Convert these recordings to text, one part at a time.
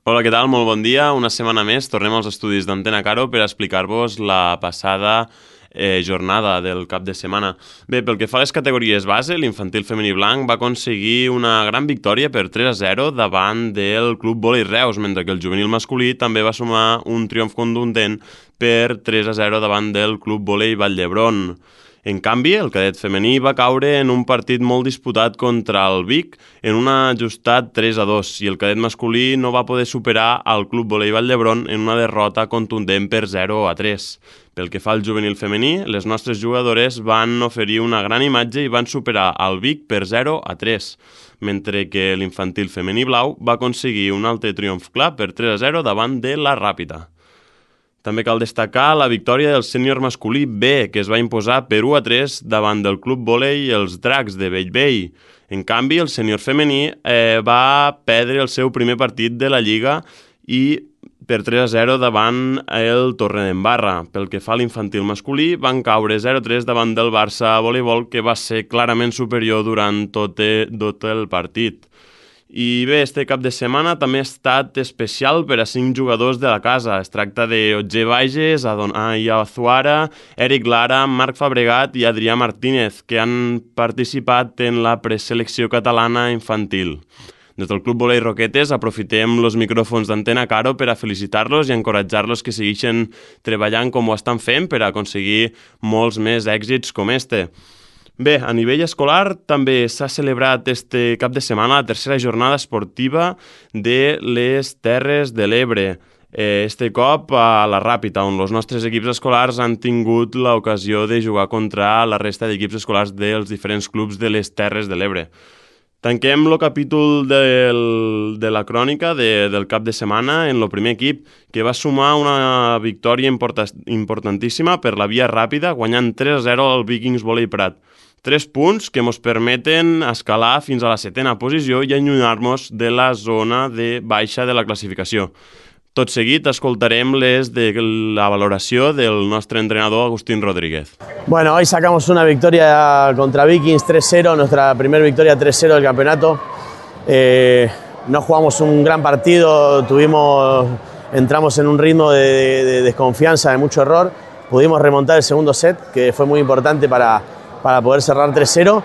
Hola, què tal? Molt bon dia. Una setmana més tornem als estudis d'Antena Caro per explicar-vos la passada jornada del cap de setmana. Bé, pel que fa a les categories base, l'infantil femení blanc va aconseguir una gran victòria per 3-0 davant del Club Vòlei Reus, mentre que el juvenil masculí també va sumar un triomf contundent per 3-0 davant del Club Vòlei Vall d'Hebron. En canvi, el cadet femení va caure en un partit molt disputat contra el Vic en un ajustat 3-2 i el cadet masculí no va poder superar el Club Vòlei Vall d'Hebron en una derrota contundent per 0-3. Pel que fa al juvenil femení, les nostres jugadores van oferir una gran imatge i van superar el Vic per 0-3, mentre que l'infantil femení blau va aconseguir un altre triomf clar per 3-0 davant de la Ràpita. També cal destacar la victòria del sènior masculí B, que es va imposar per 1-3 davant del Club Vòlei els Dracs de Bellvei. En canvi, el sènior femení va perdre el seu primer partit de la Lliga i per 3-0 davant el Torredembarra. Pel que fa a l'infantil masculí, van caure 0-3 davant del Barça Voleibol, que va ser clarament superior durant tot el partit. I bé, este cap de setmana també ha estat especial per a 5 jugadors de la casa. Es tracta de Otger Bages, Adonai Azuara, Eric Lara, Marc Fabregat i Adrià Martínez, que han participat en la preselecció catalana infantil. Des del Club Vòlei Roquetes aprofitem els micròfons d'Antena Caro per a felicitar-los i encoratjar-los que segueixen treballant com ho estan fent per a aconseguir molts més èxits com este. Bé, a nivell escolar també s'ha celebrat este cap de setmana la tercera jornada esportiva de les Terres de l'Ebre. Este cop a la Ràpita, on els nostres equips escolars han tingut l'ocasió de jugar contra la resta d'equips escolars dels diferents clubs de les Terres de l'Ebre. Tanquem el capítol de la crònica del cap de setmana en el primer equip, que va sumar una victòria importantíssima per la via ràpida, guanyant 3-0 al Vikings Vòlei Prat. 3 punts que ens permeten escalar fins a la 7ª posició i allunyar-nos de la zona de baixa de la classificació. Tot seguit escoltarem de la valoració del nostre entrenador Agustín Rodríguez. Bueno, hoy sacamos una victoria contra Vikings 3-0, nuestra primera victoria 3-0 del campeonato. No jugamos un gran partido, entramos en un ritmo de desconfianza, de mucho error. Pudimos remontar el segundo set, que fue muy importante para poder cerrar 3-0.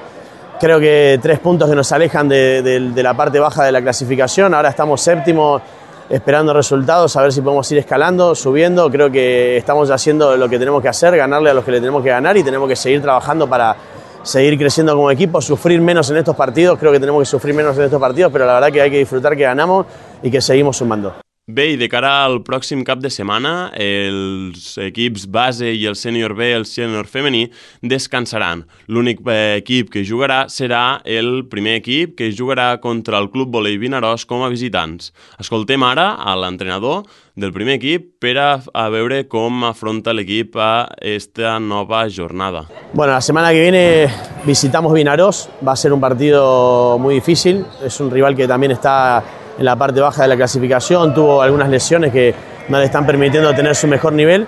Creo que 3 puntos que nos alejan de la parte baja de la clasificación. Ahora estamos séptimos, esperando resultados, a ver si podemos ir escalando, subiendo. Creo que estamos haciendo lo que tenemos que hacer, ganarle a los que le tenemos que ganar y tenemos que seguir trabajando para seguir creciendo como equipo, sufrir menos en estos partidos. Creo que tenemos que sufrir menos en estos partidos, pero la verdad que hay que disfrutar que ganamos y que seguimos sumando. Bé, i de cara al pròxim cap de setmana, els equips base i el sènior B i el sènior femení descansaran. L'únic equip que jugarà serà el primer equip, que jugarà contra el Club Vòlei Vinaròs com a visitants. Escoltem ara a l'entrenador del primer equip per a veure com afronta l'equip a esta nova jornada. Bueno, la semana que viene visitamos Vinaròs. Va a ser un partido muy difícil. Es un rival que también está en la parte baja de la clasificación, tuvo algunas lesiones que no le están permitiendo tener su mejor nivel.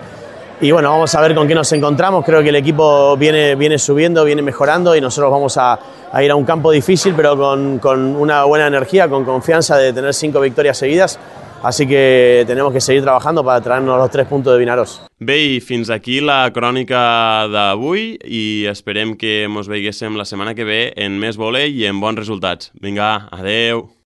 Y bueno, vamos a ver con qué nos encontramos. Creo que el equipo viene subiendo, viene mejorando y nosotros vamos a ir a un campo difícil, pero con una buena energía, con confianza de tener 5 victorias seguidas. Así que tenemos que seguir trabajando para traernos los 3 puntos de Vinaròs. Bé, i fins aquí la crònica d'avui i esperem que ens veiguéssim la setmana que ve en més vòlei i en bons resultats. Vinga, adeu!